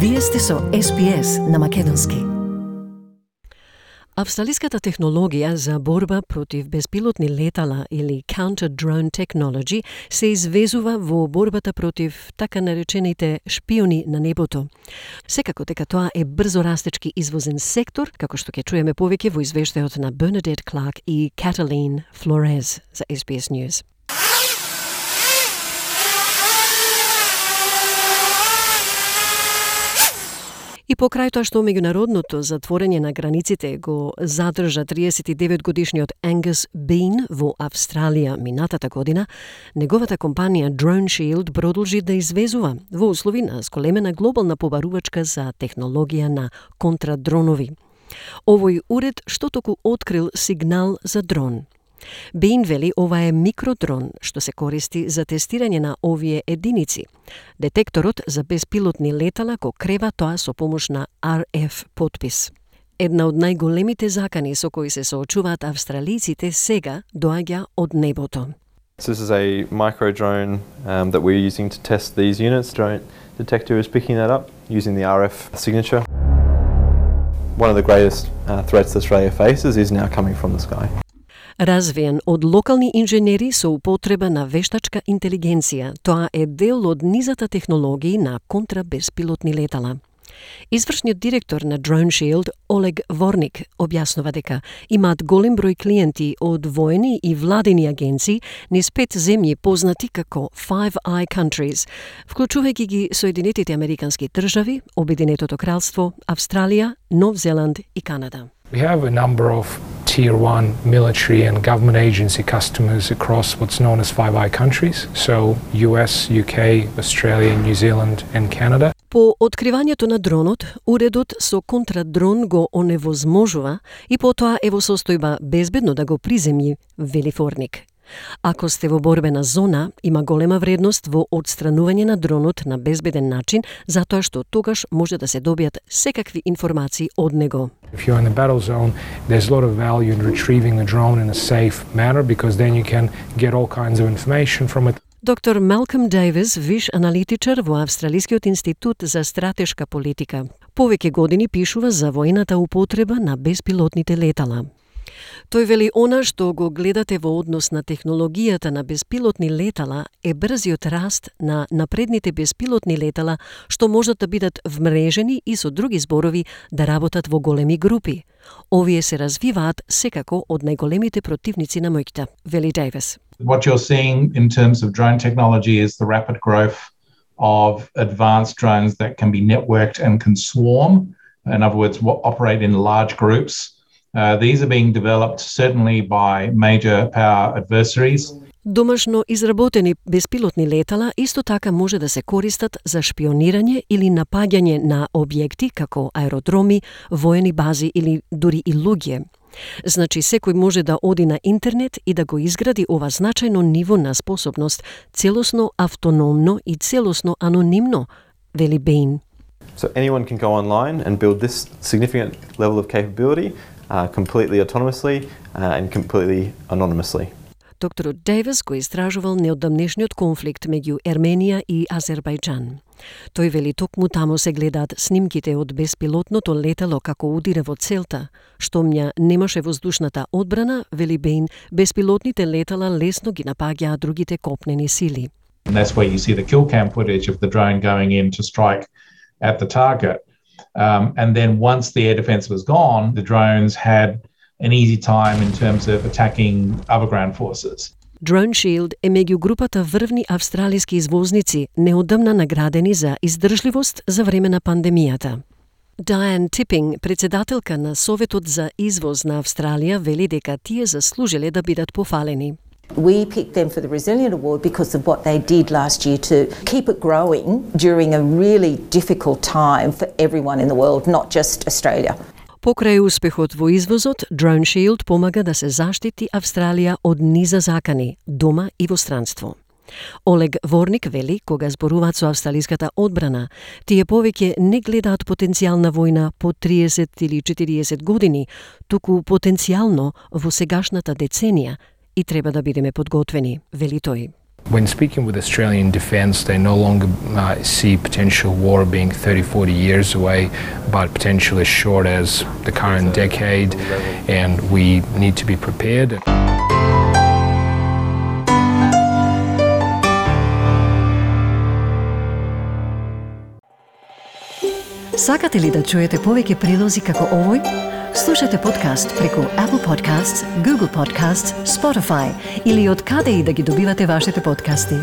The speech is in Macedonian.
Вие сте со SPS на македонски. Австралиската технологија за борба против беспилотни летала или counter-drone technology се извезува во борбата против така наречените шпиони на небото. Секако дека тоа е брзо растечки извозен сектор, како што ќе чуеме повеќе во извештајот на Bernadette Clark и Cataline Flores за SBS News. И покрај тоа што меѓународното затворење на границите го задржа 39-годишниот Angus Bean во Австралија минатата година, неговата компанија Drone Shield продолжи да извезува во услови на зголемена глобална побарувачка за технологија на контрадронови. Овој уред што току открил сигнал за дрон. Бейн вели ова е микродрон што се користи за тестирање на овие единици. Детекторот за беспилотни летала го крева тоа со помош на RF подпис. Една од најголемите закани со кои се соочуваат австралиците сега доаѓа од небото. This is a micro drone that we're using to test these units. Drone detector is picking that up using the RF signature. One of the greatest threats Australia faces is now coming from the sky. Развиен од локални инженери со употреба на вештачка интелигенција, тоа е дел од низата технологии на контрабеспилотни летала. Извршниот директор на Drone Shield, Олег Ворник, објаснува дека имаат голем број клиенти од воени и владени агенции низ 5 земји познати како Five Eye Countries, вклучувајќи ги Соединетите Американски држави, Обединетото кралство, Австралија, Нов Зеланд и Канада. We have a number of Tier 1 military and government agency customers across what's known as Five Eye countries, so US, UK, Australia, New Zealand and Canada. По откривањето на дронот, уредот со контрадрон го оневозможува и потоа е во состојба безбедно да го приземји, вели Ворник. Ако сте во борбена зона, има голема вредност во одстранување на дронот на безбеден начин, затоа што тогаш може да се добијат секакви информации од него. If you're in the battle zone, there's a lot of value in retrieving the drone in a safe manner because then you can get all kinds of information from it. Доктор Малком Дейвис, виш аналитичар во Австралискиот институт за стратешка политика, повеќе години пишува за војната употреба на беспилотните летала. Тој вели она што го гледате во однос на технологијата на беспилотни летала е брзиот раст на напредните беспилотни летала што можат да бидат вмрежени и со други зборови да работат во големи групи. Овие се развиваат секако од најголемите противници на моќта, вели Дейвис. What you're seeing in terms of drone technology is the rapid growth of advanced drones that can be networked and can swarm. In other words, operate in large groups. These are being developed certainly by major power adversaries. Домашно изработени беспилотни летала исто така може да се користат за шпионирање или напаѓање на објекти како аеродроми, воени бази или дури и луѓе. Значи секој може да оди на интернет и да го изгради ова значајно ниво на способност, целосно автономно и целосно анонимно, вели Бейн. So anyone can go online and build this significant level of capability completely autonomously and completely anonymously. Докторот Дейвис го истражувал неодамнешниот конфликт меѓу Ерменија и Азербајџан. Тој вели токму таму се гледаат снимките од беспилотното летало како удира во целта. Штом ја немаше воздушната одбрана, вели Бейн, беспилотните летала лесно ги напаѓаат другите копнени сили. And that's where you see the kill cam footage of the drone going in to strike at the target. And then once the air defense was gone, the drones had an easy time in terms of attacking other ground forces. Drone Shield е меѓу групата врвни австралиски извозници неодамна наградени за издржливост за време на пандемијата. Diane Tipping, председателка на Советот за извоз на Австралија, вели дека тие заслужиле да бидат пофалени. We picked them for the Resilient Award because of what they did last year to keep it growing during a really difficult time for everyone in the world, not just Australia. Покрај успехот во извозот, Drone Shield помага да се заштити Австралија од низа закани, дома и во странство. Олег Ворник вели, кога зборуваат со австралиската одбрана, тие повеќе не гледаат потенцијална војна по 30 или 40 години, туку потенцијално во сегашната деценија и треба да бидеме подготвени, вели тој. When speaking with Australian Defence, they no longer see potential war being 30-40 years away, but potentially as short as the current decade, and we need to be prepared. Сакате ли да чуете повеќе прилози како овој? Слушате подкаст преку Apple Podcasts, Google Podcasts, Spotify или од каде и да ги добивате вашите подкасти.